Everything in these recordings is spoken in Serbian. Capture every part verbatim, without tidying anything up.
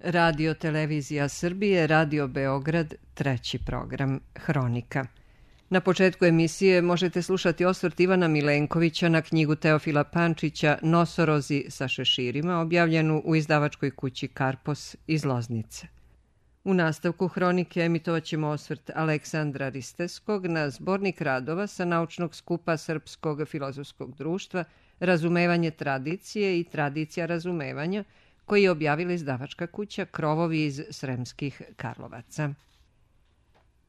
Radio Televizija Srbije, Radio Beograd, treći program, Hronika. Na početku emisije možete slušati osvrt Ivana Milenkovića na knjigu Teofila Pančića Nosorozi sa šeširima, objavljenu u izdavačkoj kući Karpos iz Loznice. U nastavku Hronike emitovat ćemo osvrt Aleksandra Risteskog na zbornik radova sa naučnog skupa Srpskog filozofskog društva Razumevanje tradicije i tradicija razumevanja, koji je objavila izdavačka kuća Krovovi iz Sremskih Karlovaca.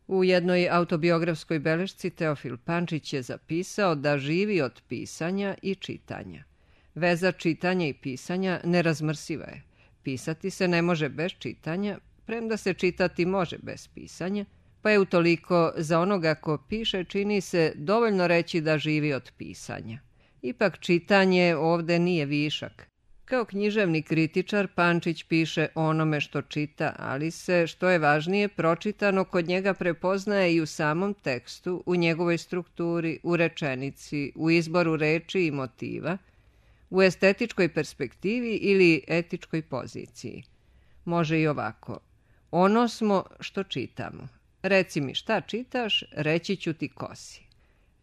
U jednoj autobiografskoj belešci Teofil Pančić je zapisao da živi od pisanja i čitanja. Veza čitanja i pisanja nerazmrsiva je. Pisati se ne može bez čitanja, premda se čitati može bez pisanja, pa je utoliko za onoga ko piše čini se dovoljno reći da živi od pisanja. Ipak čitanje ovde nije višak. Kao književni kritičar Pančić piše o onome što čita, ali se, što je važnije, pročitano kod njega prepoznaje i u samom tekstu, u njegovoj strukturi, u rečenici, u izboru reči i motiva, u estetičkoj perspektivi ili etičkoj poziciji. Može i ovako. Ono smo što čitamo. Reci mi šta čitaš, reći ću ti ko si.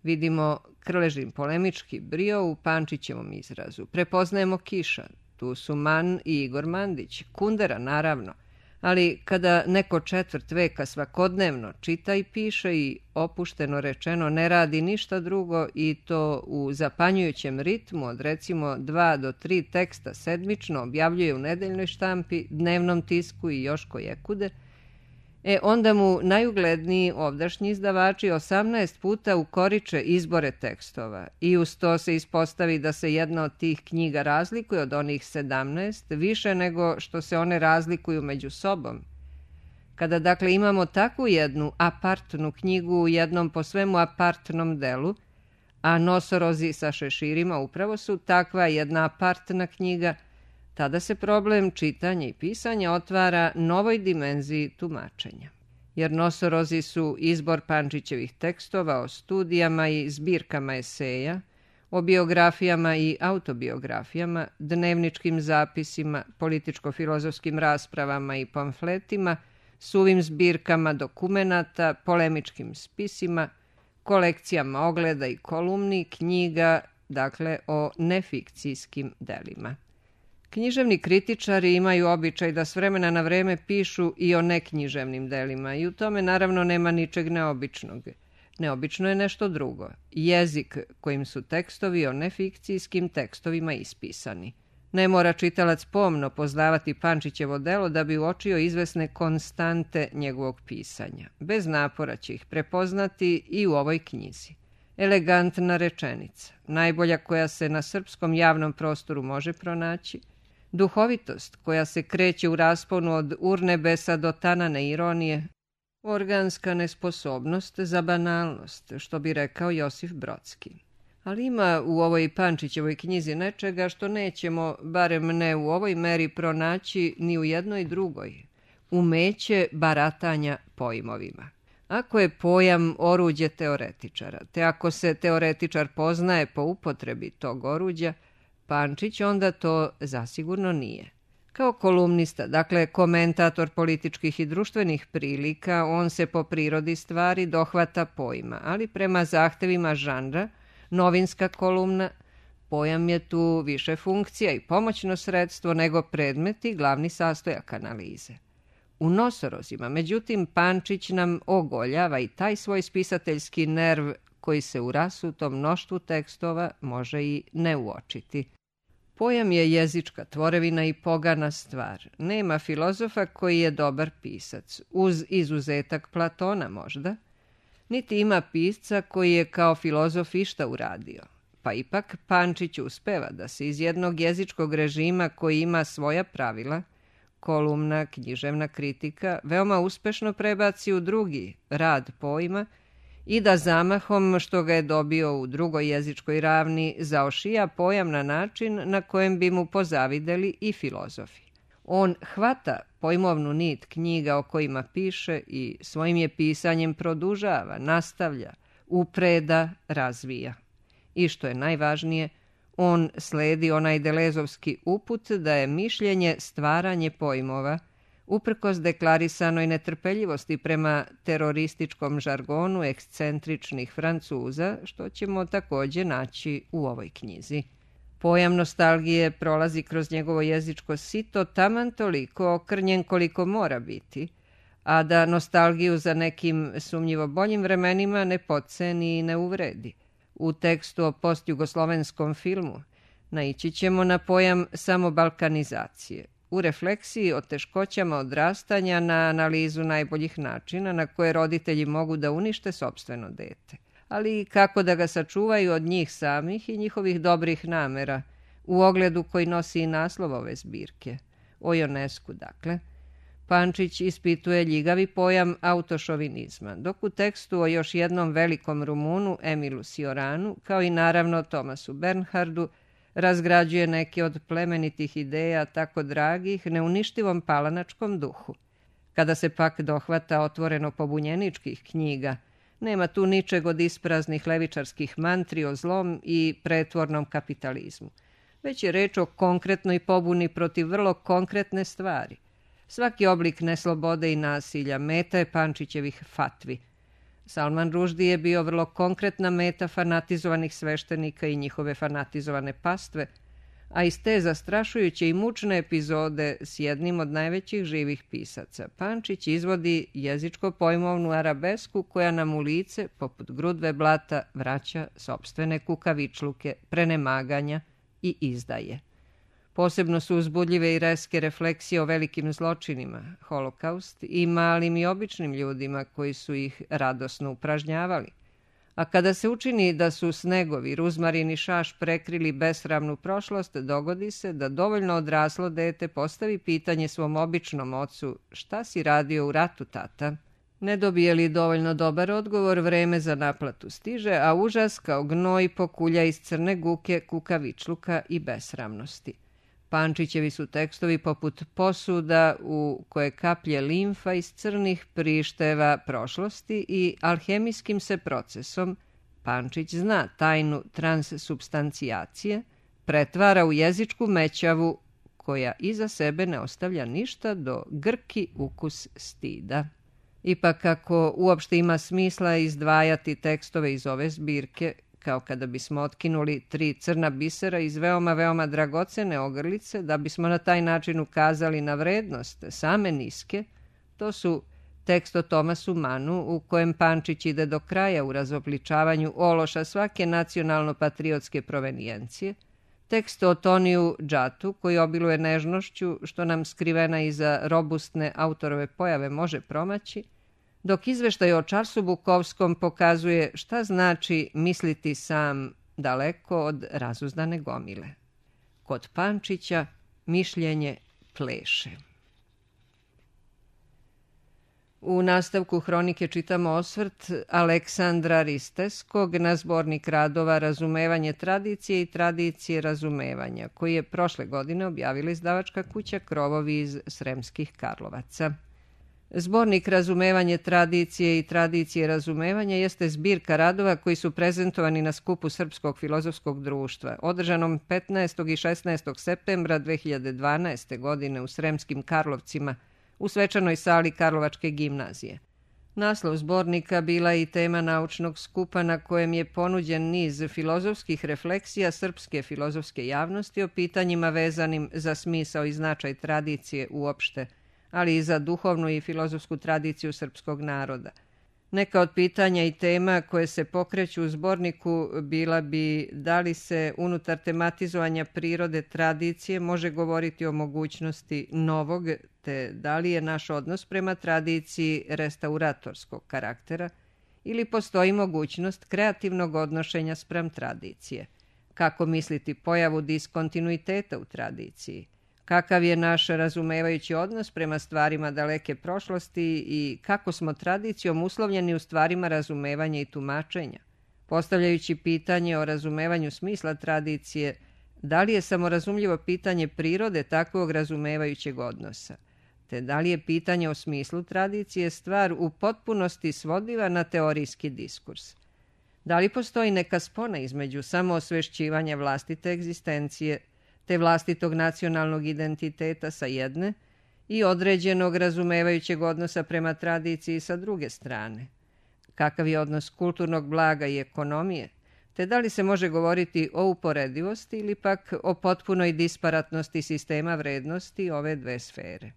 Vidimo Krležin polemički brio u Pančićevom izrazu. Prepoznajemo Kiša, tu su Man i Igor Mandić, Kundera naravno, ali kada neko četvrt veka svakodnevno čita i piše i opušteno rečeno ne radi ništa drugo i to u zapanjujućem ritmu od recimo dva do tri teksta sedmično objavljuje u nedeljnoj štampi, dnevnom tisku i još kojekude, E, onda mu najugledniji ovdašnji izdavači osamnaest puta ukoriče izbore tekstova i uz to se ispostavi da se jedna od tih knjiga razlikuje od onih sedamnaest više nego što se one razlikuju među sobom. Kada dakle imamo takvu jednu apartnu knjigu u jednom po svemu apartnom delu, a Nosorozi sa šeširima upravo su takva jedna apartna knjiga, tada se problem čitanja i pisanja otvara novoj dimenziji tumačenja. Jer Nosorozi su izbor Pančićevih tekstova o studijama i zbirkama eseja, o biografijama i autobiografijama, dnevničkim zapisima, političko-filozofskim raspravama i pamfletima, suvim zbirkama dokumenata, polemičkim spisima, kolekcijama ogleda i kolumni, knjiga, dakle o nefikcijskim delima. Književni kritičari imaju običaj da s vremena na vreme pišu i o neknjiževnim delima i u tome naravno nema ničeg neobičnog. Neobično je nešto drugo. Jezik kojim su tekstovi o nefikcijskim tekstovima ispisani. Ne mora čitalac pomno poznavati Pančićevo delo da bi uočio izvesne konstante njegovog pisanja. Bez napora će ih prepoznati i u ovoj knjizi. Elegantna rečenica, najbolja koja se na srpskom javnom prostoru može pronaći, duhovitost koja se kreće u rasponu od urnebesa do tanane ironije, organska nesposobnost za banalnost, što bi rekao Josif Brodski. Ali ima u ovoj Pančićevoj knjizi nečega što nećemo, barem ne u ovoj meri, pronaći ni u jednoj drugoj. Umeće baratanja pojmovima. Ako je pojam oruđe teoretičara, te ako se teoretičar poznaje po upotrebi tog oruđa, Pančić onda to zasigurno nije. Kao kolumnista, dakle komentator političkih i društvenih prilika, on se po prirodi stvari dohvata pojma, ali prema zahtevima žanra, novinska kolumna, pojam je tu više funkcija i pomoćno sredstvo nego predmet i glavni sastojak analize. U Nosorozima, međutim, Pančić nam ogoljava i taj svoj spisateljski nerv koji se u rasutom mnoštvu tekstova može i ne uočiti. Pojam je jezička tvorevina i pogana stvar. Nema filozofa koji je dobar pisac, uz izuzetak Platona možda, niti ima pisca koji je kao filozof išta uradio. Pa ipak Pančić uspeva da se iz jednog jezičkog režima koji ima svoja pravila, kolumna, književna kritika, veoma uspešno prebaci u drugi, rad pojma, i da zamahom što ga je dobio u drugoj jezičkoj ravni zaošija pojam na način na kojem bi mu pozavideli i filozofi. On hvata pojmovnu nit knjiga o kojima piše i svojim je pisanjem produžava, nastavlja, upreda, razvija. I što je najvažnije, on sledi onaj delezovski uput da je mišljenje stvaranje pojmova uprkos deklarisanoj netrpeljivosti prema terorističkom žargonu ekscentričnih Francuza, što ćemo također naći u ovoj knjizi. Pojam nostalgije prolazi kroz njegovo jezičko sito taman toliko okrnjen koliko mora biti, a da nostalgiju za nekim sumnjivo boljim vremenima ne podceni i ne uvredi. U tekstu o postjugoslovenskom filmu naići ćemo na pojam samobalkanizacije, u refleksiji o teškoćama odrastanja na analizu najboljih načina na koje roditelji mogu da unište sopstveno dete, ali i kako da ga sačuvaju od njih samih i njihovih dobrih namera, u ogledu koji nosi i naslov ove zbirke, o Ionescu dakle. Pančić ispituje ljigavi pojam autošovinizma, dok u tekstu o još jednom velikom Rumunu, Emilu Cioranu, kao i naravno Tomasu Bernhardu, razgrađuje neke od plemenitih ideja tako dragih neuništivom palanačkom duhu. Kada se pak dohvata otvoreno pobunjeničkih knjiga, nema tu ničeg od ispraznih levičarskih mantri o zlom i pretvornom kapitalizmu, već je reč o konkretnoj pobuni protiv vrlo konkretne stvari. Svaki oblik neslobode i nasilja meta je Pančićevih fatvi. Salman Ruždi je bio vrlo konkretna meta fanatizovanih sveštenika i njihove fanatizovane pastve, a iz te zastrašujuće i mučne epizode s jednim od najvećih živih pisaca, Pančić izvodi jezičko-pojmovnu arabesku koja nam u lice, poput grudve blata, vraća sopstvene kukavičluke, prenemaganja i izdaje. Posebno su uzbudljive i reske refleksije o velikim zločinima, holokaust, i malim i običnim ljudima koji su ih radosno upražnjavali. A kada se učini da su snegovi, ruzmarin i šaš prekrili besramnu prošlost, dogodi se da dovoljno odraslo dete postavi pitanje svom običnom ocu: šta si radio u ratu, tata? Ne dobije li dovoljno dobar odgovor, vreme za naplatu stiže, a užas kao gnoj pokulja iz crne guke, kukavičluka i besramnosti. Pančićevi su tekstovi poput posuda u koje kaplje limfa iz crnih prišteva prošlosti i alhemijskim se procesom, Pančić zna tajnu transsubstancijacije, pretvara u jezičku mećavu koja iza sebe ne ostavlja ništa do grki ukus stida. Ipak ako uopšte ima smisla izdvajati tekstove iz ove zbirke, kao kada bismo otkinuli tri crna bisera iz veoma, veoma dragocene ogrlice, da bismo na taj način ukazali na vrednost same niske, to su tekst o Tomasu Manu, u kojem Pančić ide do kraja u razobličavanju ološa svake nacionalno-patriotske provenijencije, tekst o Toniju Džatu, koji obiluje nežnošću, što nam skrivena iza robustne autorove pojave može promaći, dok izveštaj o Čarsu Bukovskom pokazuje šta znači misliti sam daleko od razuzdane gomile. Kod Pančića mišljenje pleše. U nastavku hronike čitamo osvrt Aleksandra Risteskog na zbornik radova Razumevanje tradicije i tradicije razumevanja, koji je prošle godine objavila izdavačka kuća Krovovi iz Sremskih Karlovaca. Zbornik Razumevanje tradicije i tradicije razumevanja jeste zbirka radova koji su prezentovani na skupu Srpskog filozofskog društva, održanom petnaestog i šesnaestog septembra dve hiljade dvanaeste. godine u Sremskim Karlovcima, u svečanoj sali Karlovačke gimnazije. Naslov zbornika bila je i tema naučnog skupa na kojem je ponuđen niz filozofskih refleksija srpske filozofske javnosti o pitanjima vezanim za smisao i značaj tradicije uopšte, ali i za duhovnu i filozofsku tradiciju srpskog naroda. Neka od pitanja i tema koje se pokreću u zborniku bila bi da li se unutar tematizovanja prirode tradicije može govoriti o mogućnosti novog, te da li je naš odnos prema tradiciji restauratorskog karaktera ili postoji mogućnost kreativnog odnošenja spram tradicije. Kako misliti pojavu diskontinuiteta u tradiciji? Kakav je naš razumevajući odnos prema stvarima daleke prošlosti i kako smo tradicijom uslovljeni u stvarima razumevanja i tumačenja? Postavljajući pitanje o razumevanju smisla tradicije, da li je samorazumljivo pitanje prirode takvog razumevajućeg odnosa? Te da li je pitanje o smislu tradicije stvar u potpunosti svodiva na teorijski diskurs? Da li postoji neka spona između samoosvešćivanja vlastite egzistencije te vlastitog nacionalnog identiteta sa jedne i određenog razumevajućeg odnosa prema tradiciji sa druge strane. Kakav je odnos kulturnog blaga i ekonomije, te da li se može govoriti o uporedivosti ili pak o potpunoj disparatnosti sistema vrednosti ove dve sfere.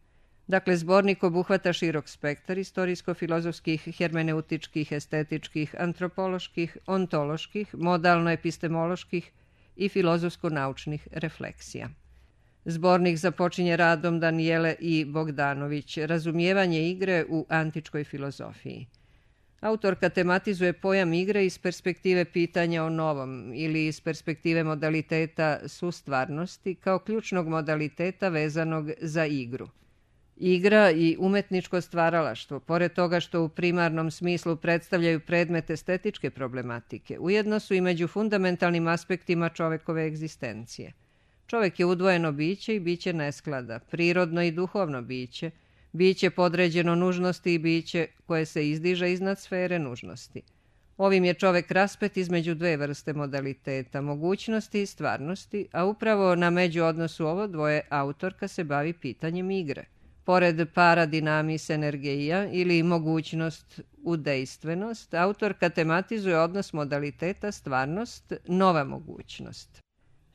Dakle, zbornik obuhvata širok spektar istorijsko-filozofskih, hermeneutičkih, estetičkih, antropoloških, ontoloških, modalno-epistemoloških i filozofsko-naučnih refleksija. Zbornik započinje radom Danijele I. Bogdanović, Razumijevanje igre u antičkoj filozofiji. Autorka tematizuje pojam igre iz perspektive pitanja o novom ili iz perspektive modaliteta sustvarnosti kao ključnog modaliteta vezanog za igru. Igra i umetničko stvaralaštvo, pored toga što u primarnom smislu predstavljaju predmet estetičke problematike, ujedno su i među fundamentalnim aspektima čovekove egzistencije. Čovek je udvojeno biće i biće nesklada, prirodno i duhovno biće, biće podređeno nužnosti i biće koje se izdiže iznad sfere nužnosti. Ovim je čovek raspet između dve vrste modaliteta, mogućnosti i stvarnosti, a upravo na međuodnosu ovo dvoje autorka se bavi pitanjem igre. Pored paradinamis energeija ili mogućnost u dejstvenost, autorka tematizuje odnos modaliteta stvarnost, nova mogućnost.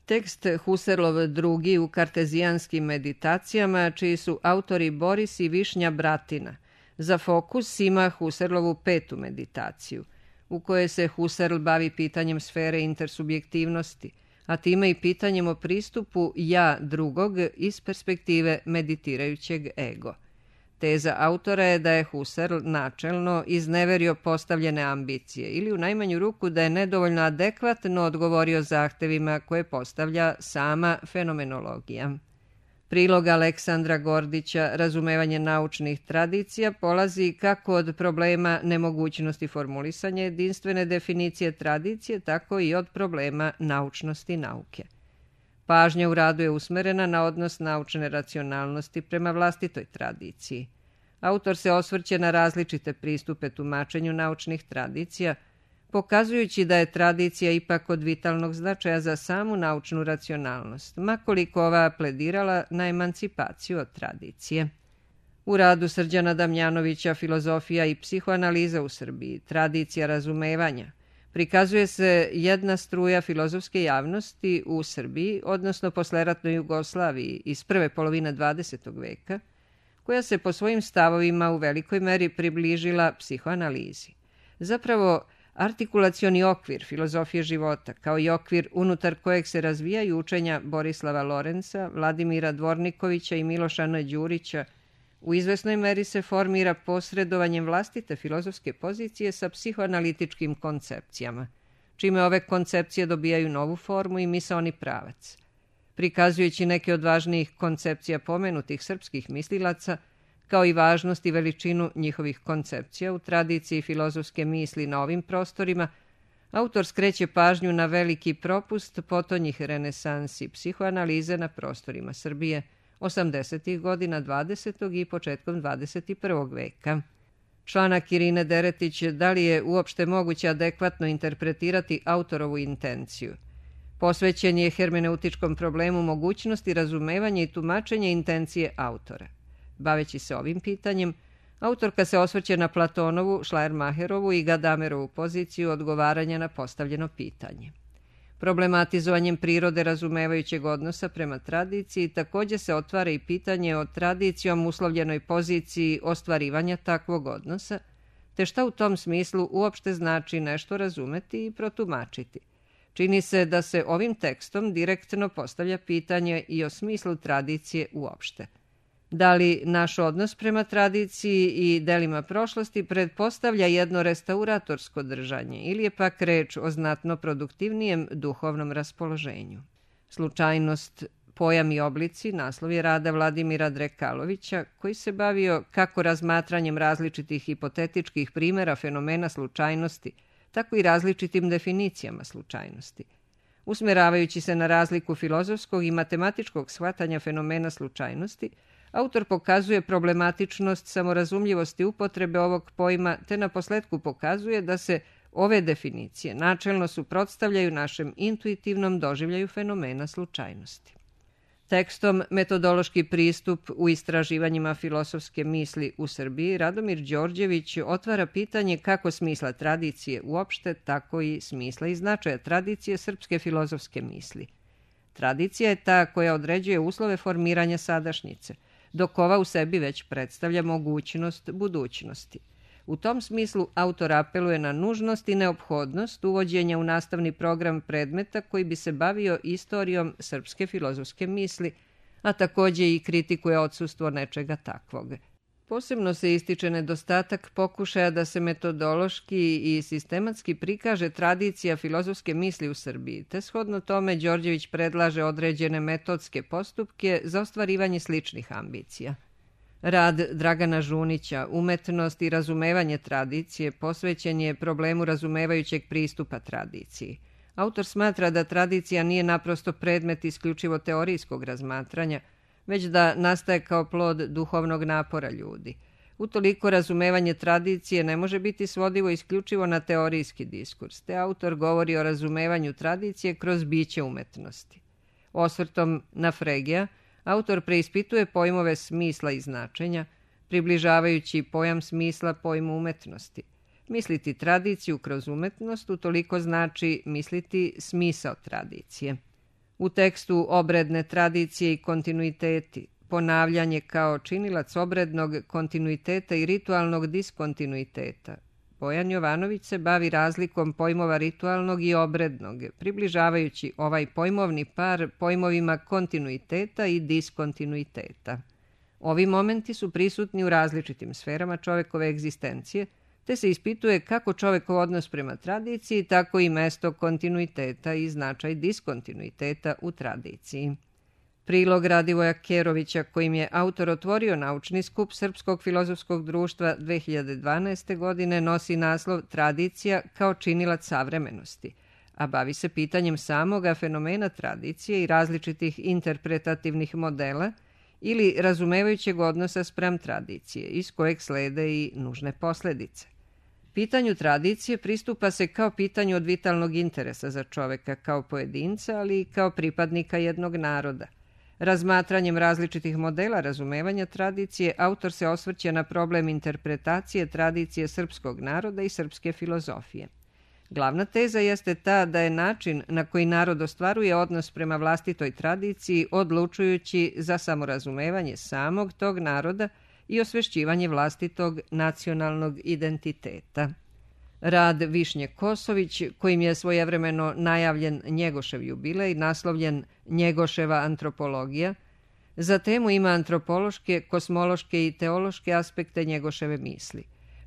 Tekst Husserlov drugi u kartezijanskim meditacijama, čiji su autori Boris i Višnja Bratina, za fokus ima Husserlovu petu meditaciju, u kojoj se Husserl bavi pitanjem sfere intersubjektivnosti, a time i pitanjem o pristupu ja drugog iz perspektive meditirajućeg ego. Teza autora je da je Husserl načelno izneverio postavljene ambicije ili u najmanju ruku da je nedovoljno adekvatno odgovorio zahtevima koje postavlja sama fenomenologija. Prilog Aleksandra Gordića, Razumevanje naučnih tradicija, polazi kako od problema nemogućnosti formulisanja jedinstvene definicije tradicije, tako i od problema naučnosti nauke. Pažnja u radu je usmerena na odnos naučne racionalnosti prema vlastitoj tradiciji. Autor se osvrće na različite pristupe tumačenju naučnih tradicija, pokazujući da je tradicija ipak od vitalnog značaja za samu naučnu racionalnost, makoliko ova pledirala na emancipaciju od tradicije. U radu Srđana Damjanovića Filozofija i psihoanaliza u Srbiji, tradicija razumevanja, prikazuje se jedna struja filozofske javnosti u Srbiji, odnosno posleratnoj Jugoslaviji iz prve polovine dvadesetog veka, koja se po svojim stavovima u velikoj meri približila psihoanalizi. Zapravo, artikulacioni okvir filozofije života, kao i okvir unutar kojeg se razvijaju učenja Borislava Lorenca, Vladimira Dvornikovića i Miloša N. Đurića, u izvesnoj meri se formira posredovanjem vlastite filozofske pozicije sa psihoanalitičkim koncepcijama, čime ove koncepcije dobijaju novu formu i misaoni pravac. Prikazujući neke od važnijih koncepcija pomenutih srpskih mislilaca, kao i važnost i veličinu njihovih koncepcija u tradiciji filozofske misli na ovim prostorima, autor skreće pažnju na veliki propust potonjih renesansi psihoanalize na prostorima Srbije osamdesetih godina dvadesetog i početkom dvadeset prvog veka. Članak Irine Deretić Da li je uopšte moguće adekvatno interpretirati autorovu intenciju? Posvećen je hermeneutičkom problemu mogućnosti razumevanja i tumačenja intencije autora. Baveći se ovim pitanjem, autorka se osvrće na Platonovu, Schleiermacherovu i Gadamerovu poziciju odgovaranja na postavljeno pitanje. Problematizovanjem prirode razumevajućeg odnosa prema tradiciji također se otvara i pitanje o tradicijom uslovljenoj poziciji ostvarivanja takvog odnosa, te šta u tom smislu uopšte znači nešto razumeti i protumačiti. Čini se da se ovim tekstom direktno postavlja pitanje i o smislu tradicije uopšte. Da li naš odnos prema tradiciji i delima prošlosti pretpostavlja jedno restauratorsko držanje ili je pak reč o znatno produktivnijem duhovnom raspoloženju? Slučajnost, pojam i oblici naslov je rada Vladimira Drekalovića, koji se bavio kako razmatranjem različitih hipotetičkih primjera fenomena slučajnosti, tako i različitim definicijama slučajnosti. Usmeravajući se na razliku filozofskog i matematičkog shvatanja fenomena slučajnosti, autor pokazuje problematičnost samorazumljivosti upotrebe ovog pojma, te na posledku pokazuje da se ove definicije načelno suprotstavljaju našem intuitivnom doživljaju fenomena slučajnosti. Tekstom Metodološki pristup u istraživanjima filosofske misli u Srbiji Radomir Đorđević otvara pitanje kako smisla tradicije uopšte, tako i smisla i značaja tradicije srpske filozofske misli. Tradicija je ta koja određuje uslove formiranja sadašnjice, dok ova u sebi već predstavlja mogućnost budućnosti. U tom smislu autor apeluje na nužnost i neophodnost uvođenja u nastavni program predmeta koji bi se bavio istorijom srpske filozofske misli, a takođe i kritikuje odsustvo nečega takvog. Posebno se ističe nedostatak pokušaja da se metodološki i sistematski prikaže tradicija filozofske misli u Srbiji, te shodno tome Đorđević predlaže određene metodske postupke za ostvarivanje sličnih ambicija. Rad Dragana Žunića, Umetnost i razumevanje tradicije, posvećen je problemu razumevajućeg pristupa tradiciji. Autor smatra da tradicija nije naprosto predmet isključivo teorijskog razmatranja, već da nastaje kao plod duhovnog napora ljudi. Utoliko razumevanje tradicije ne može biti svodivo isključivo na teorijski diskurs, te autor govori o razumevanju tradicije kroz biće umetnosti. Osvrtom na Fregija, autor preispituje pojmove smisla i značenja, približavajući pojam smisla pojmu umetnosti. Misliti tradiciju kroz umetnost utoliko znači misliti smisao tradicije. U tekstu Obredne tradicije i kontinuiteti, ponavljanje kao činilac obrednog kontinuiteta i ritualnog diskontinuiteta, Bojan Jovanović se bavi razlikom pojmova ritualnog i obrednog, približavajući ovaj pojmovni par pojmovima kontinuiteta i diskontinuiteta. Ovi momenti su prisutni u različitim sferama čovekove egzistencije, te se ispituje kako čovekov odnos prema tradiciji, tako i mesto kontinuiteta i značaj diskontinuiteta u tradiciji. Prilog Radivoja Kerovića, kojim je autor otvorio naučni skup Srpskog filozofskog društva dve hiljade dvanaeste. godine, nosi naslov Tradicija kao činilac savremenosti, a bavi se pitanjem samoga fenomena tradicije i različitih interpretativnih modela ili razumevajućeg odnosa spram tradicije, iz kojeg slede i nužne posledice. Pitanju tradicije pristupa se kao pitanju od vitalnog interesa za čoveka kao pojedinca, ali i kao pripadnika jednog naroda. Razmatranjem različitih modela razumevanja tradicije, autor se osvrće na problem interpretacije tradicije srpskog naroda i srpske filozofije. Glavna teza jeste ta da je način na koji narod ostvaruje odnos prema vlastitoj tradiciji odlučujući za samorazumevanje samog tog naroda i osvešćivanje vlastitog nacionalnog identiteta. Rad Višnje Kosović, kojim je svojevremeno najavljen Njegošev jubilej, naslovljen Njegoševa antropologija, za temu ima antropološke, kosmološke i teološke aspekte Njegoševe misli.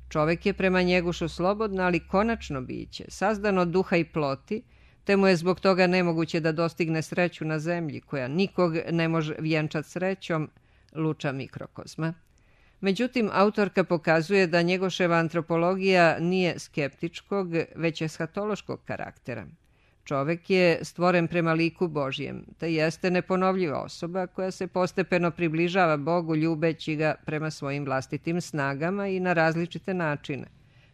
Čovek je prema Njegošu slobodno, ali konačno biće, sazdan od duha i ploti, te mu je zbog toga nemoguće da dostigne sreću na zemlji, koja nikog ne može vjenčat srećom, luča mikrokozma. Međutim, autorka pokazuje da Njegoševa antropologija nije skeptičkog, već eshatološkog karaktera. Čovek je stvoren prema liku Božjem, te jeste neponovljiva osoba koja se postepeno približava Bogu ljubeći ga prema svojim vlastitim snagama i na različite načine.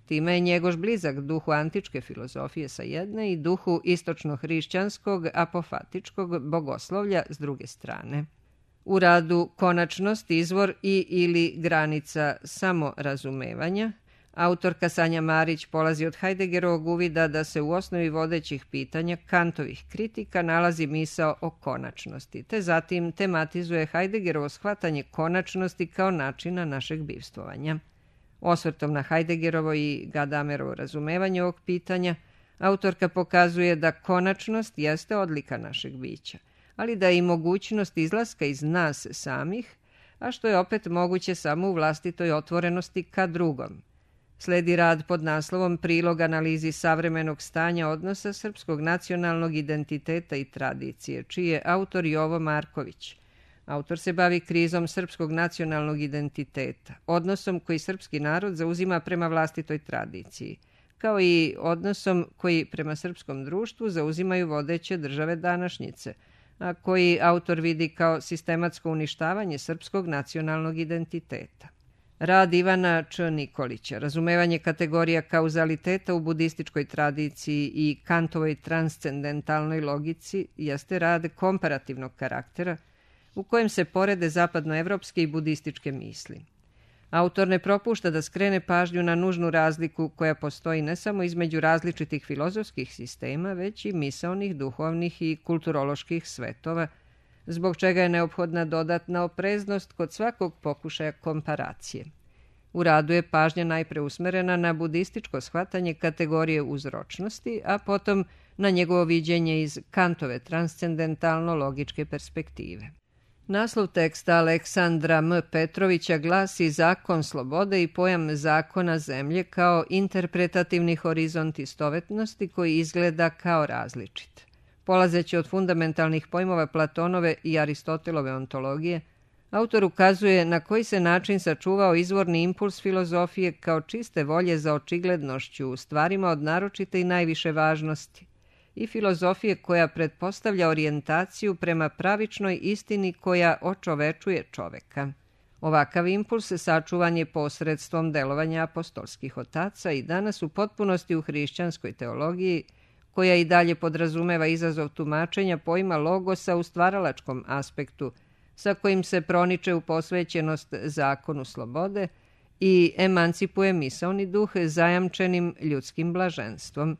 Time je Njegoš blizak duhu antičke filozofije sa jedne i duhu istočno-hrišćanskog apofatičkog bogoslovlja s druge strane. U radu Konačnost, izvor i ili granica samorazumevanja, autorka Sanja Marić polazi od Heideggerovog uvida da se u osnovi vodećih pitanja Kantovih kritika nalazi misao o konačnosti, te zatim tematizuje Heideggerovo shvatanje konačnosti kao načina našeg bivstvovanja. Osvrtom na Heideggerovo i Gadamerovo razumevanje ovog pitanja, autorka pokazuje da konačnost jeste odlika našeg bića, ali da je i mogućnost izlaska iz nas samih, a što je opet moguće samo u vlastitoj otvorenosti ka drugom. Sledi rad pod naslovom Prilog analizi savremenog stanja odnosa srpskog nacionalnog identiteta i tradicije, čiji je autor Jovo Marković. Autor se bavi krizom srpskog nacionalnog identiteta, odnosom koji srpski narod zauzima prema vlastitoj tradiciji, kao i odnosom koji prema srpskom društvu zauzimaju vodeće države današnjice, a koji autor vidi kao sistematsko uništavanje srpskog nacionalnog identiteta. Rad Ivana Č. Nikolića, razumevanje kategorija kauzaliteta u budističkoj tradiciji i Kantovoj transcendentalnoj logici, jeste rad komparativnog karaktera, u kojem se porede zapadnoevropske i budističke misli. Autor ne propušta da skrene pažnju na nužnu razliku koja postoji ne samo između različitih filozofskih sistema, već i misaonih, duhovnih i kulturoloških svetova, zbog čega je neophodna dodatna opreznost kod svakog pokušaja komparacije. U radu je pažnja najpre usmerena na budističko shvatanje kategorije uzročnosti, a potom na njegovo viđenje iz Kantove transcendentalno-logičke perspektive. Naslov teksta Aleksandra M. Petrovića glasi Zakon slobode i pojam zakona zemlje kao interpretativni horizont istovetnosti koji izgleda kao različit. Polazeći od fundamentalnih pojmova Platonove i Aristotelove ontologije, autor ukazuje na koji se način sačuvao izvorni impuls filozofije kao čiste volje za očiglednošću u stvarima od naročite i najviše važnosti i filozofije koja pretpostavlja orijentaciju prema pravičnoj istini koja očovečuje čoveka. Ovakav impuls sačuvan je posredstvom delovanja apostolskih otaca i danas u potpunosti u hrišćanskoj teologiji, koja i dalje podrazumeva izazov tumačenja pojma logosa u stvaralačkom aspektu, sa kojim se proniče u posvećenost zakonu slobode i emancipuje misaoni duh zajamčenim ljudskim blaženstvom.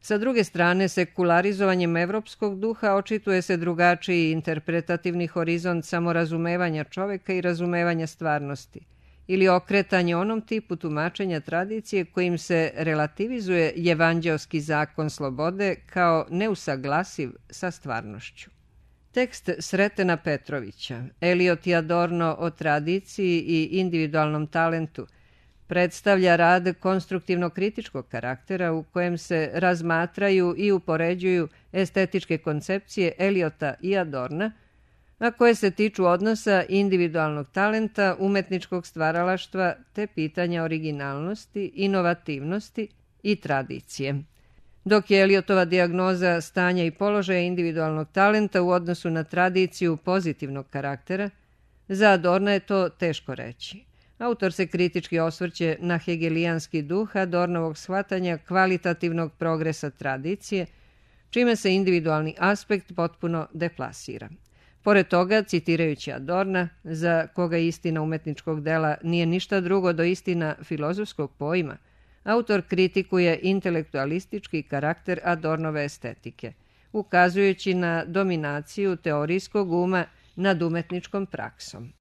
Sa druge strane, sekularizovanjem evropskog duha očituje se drugačiji interpretativni horizont samorazumevanja čoveka i razumevanja stvarnosti, ili okretanje onom tipu tumačenja tradicije kojim se relativizuje evanđeoski zakon slobode kao neusaglasiv sa stvarnošću. Tekst Sretena Petrovića, Eliot i Adorno o tradiciji i individualnom talentu, predstavlja rad konstruktivno-kritičkog karaktera u kojem se razmatraju i upoređuju estetičke koncepcije Eliota i Adorna, a koje se tiču odnosa individualnog talenta, umetničkog stvaralaštva te pitanja originalnosti, inovativnosti i tradicije. Dok je Eliotova dijagnoza stanja i položaja individualnog talenta u odnosu na tradiciju pozitivnog karaktera, za Adorna je to teško reći. Autor se kritički osvrće na hegelijanski duh Adornovog shvatanja kvalitativnog progresa tradicije, čime se individualni aspekt potpuno deplasira. Pored toga, citirajući Adorna, za koga istina umetničkog dela nije ništa drugo do istina filozofskog pojma, autor kritikuje intelektualistički karakter Adornove estetike, ukazujući na dominaciju teorijskog uma nad umetničkom praksom.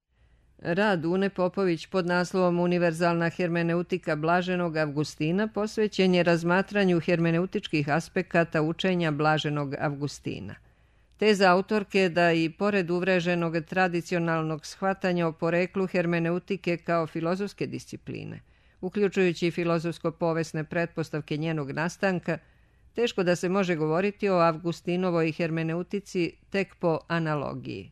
Rad Une Popović pod naslovom Univerzalna hermeneutika Blaženog Avgustina posvećen je razmatranju hermeneutičkih aspekata učenja Blaženog Avgustina. Teza autorke da i pored uvreženog tradicionalnog shvatanja o poreklu hermeneutike kao filozofske discipline, uključujući filozofsko-povesne pretpostavke njenog nastanka, teško da se može govoriti o Avgustinovoj hermeneutici tek po analogiji.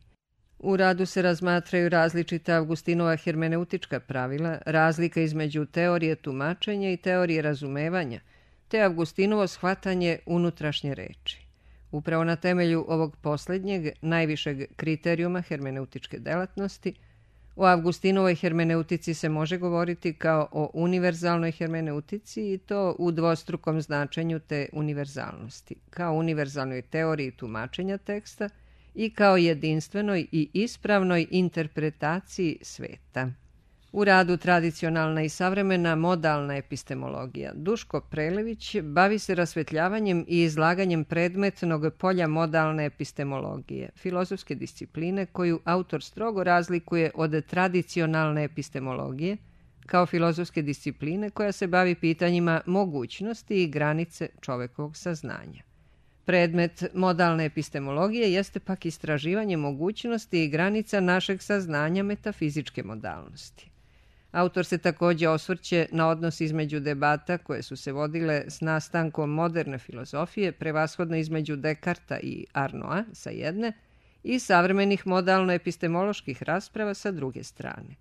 U radu se razmatraju različita Avgustinova hermeneutička pravila, razlika između teorije tumačenja i teorije razumevanja, te Avgustinovo shvatanje unutrašnje reči. Upravo na temelju ovog posljednjeg, najvišeg kriterijuma hermeneutičke delatnosti, o Avgustinovoj hermeneutici se može govoriti kao o univerzalnoj hermeneutici i to u dvostrukom značenju te univerzalnosti, kao univerzalnoj teoriji tumačenja teksta i kao jedinstvenoj i ispravnoj interpretaciji sveta. U radu Tradicionalna i savremena modalna epistemologija Duško Prelević bavi se rasvetljavanjem i izlaganjem predmetnog polja modalne epistemologije, filozofske discipline koju autor strogo razlikuje od tradicionalne epistemologije, kao filozofske discipline koja se bavi pitanjima mogućnosti i granice čovekovog saznanja. Predmet modalne epistemologije jeste pak istraživanje mogućnosti i granica našeg saznanja metafizičke modalnosti. Autor se također osvrće na odnos između debata koje su se vodile s nastankom moderne filozofije, prevashodno između Dekarta i Arnoa sa jedne i savremenih modalno-epistemoloških rasprava sa druge strane.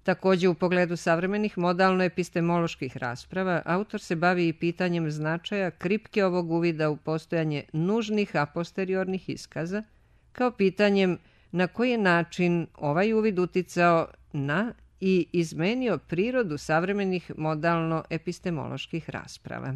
Također u pogledu savremenih modalno-epistemoloških rasprava autor se bavi i pitanjem značaja kripke ovog uvida u postojanje nužnih a posteriornih iskaza, kao pitanjem na koji je način ovaj uvid uticao na i izmenio prirodu savremenih modalno-epistemoloških rasprava.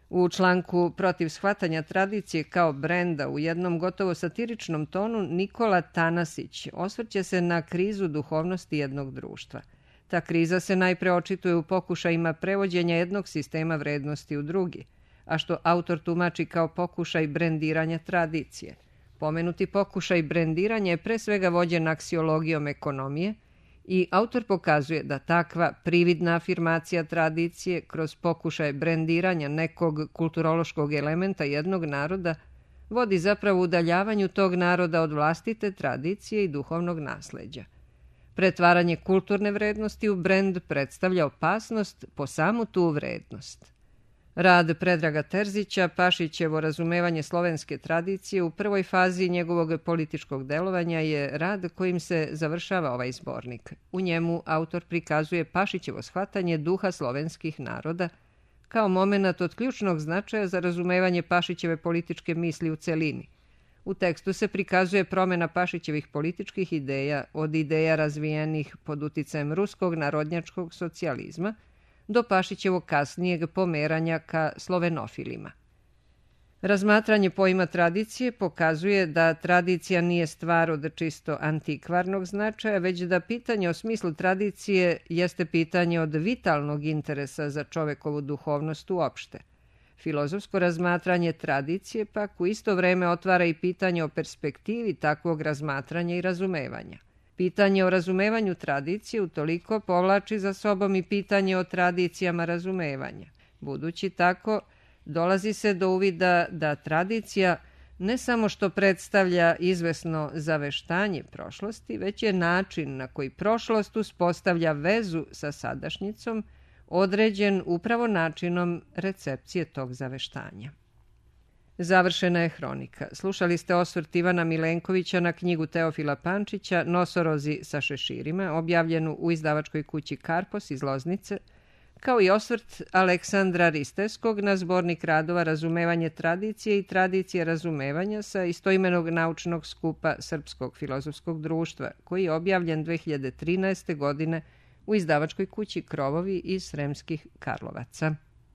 U članku Protiv shvatanja tradicije kao brenda u jednom gotovo satiričnom tonu Nikola Tanasić osvrće se na krizu duhovnosti jednog društva. Ta kriza se najpre očituje u pokušajima prevođenja jednog sistema vrednosti u drugi, a što autor tumači kao pokušaj brendiranja tradicije. Pomenuti pokušaj brendiranja je pre svega vođen aksiologijom ekonomije i autor pokazuje da takva prividna afirmacija tradicije kroz pokušaj brendiranja nekog kulturološkog elementa jednog naroda vodi zapravo udaljavanju tog naroda od vlastite tradicije i duhovnog nasleđa. Pretvaranje kulturne vrednosti u brend predstavlja opasnost po samu tu vrednost. Rad Predraga Terzića, Pašićevo razumevanje slovenske tradicije u prvoj fazi njegovog političkog delovanja je rad kojim se završava ovaj zbornik. U njemu autor prikazuje Pašićevo shvatanje duha slovenskih naroda kao momenat od ključnog značaja za razumevanje Pašićeve političke misli u celini. U tekstu se prikazuje promjena Pašićevih političkih ideja od ideja razvijenih pod uticajem ruskog narodnjačkog socijalizma do Pašićevog kasnijeg pomeranja ka slovenofilima. Razmatranje pojma tradicije pokazuje da tradicija nije stvar od čisto antikvarnog značaja, već da pitanje o smislu tradicije jeste pitanje od vitalnog interesa za čovekovu duhovnost uopšte. Filozofsko razmatranje tradicije pak u isto vreme otvara i pitanje o perspektivi takvog razmatranja i razumevanja. Pitanje o razumevanju tradicije utoliko povlači za sobom i pitanje o tradicijama razumevanja. Budući tako, dolazi se do uvida da tradicija ne samo što predstavlja izvesno zaveštanje prošlosti, već je način na koji prošlost uspostavlja vezu sa sadašnjicom, određen upravo načinom recepcije tog zaveštanja. Završena je hronika. Slušali ste osvrt Ivana Milenkovića na knjigu Teofila Pančića Nosorozi sa šeširima, objavljenu u izdavačkoj kući Karpos iz Loznice, kao i osvrt Aleksandra Ristevskog na zbornik radova Razumevanje tradicije i tradicije razumevanja sa istoimenog naučnog skupa Srpskog filozofskog društva, koji je objavljen dve hiljade trinaeste. godine u izdavačkoj kući Krovovi iz Sremskih Karlovaca.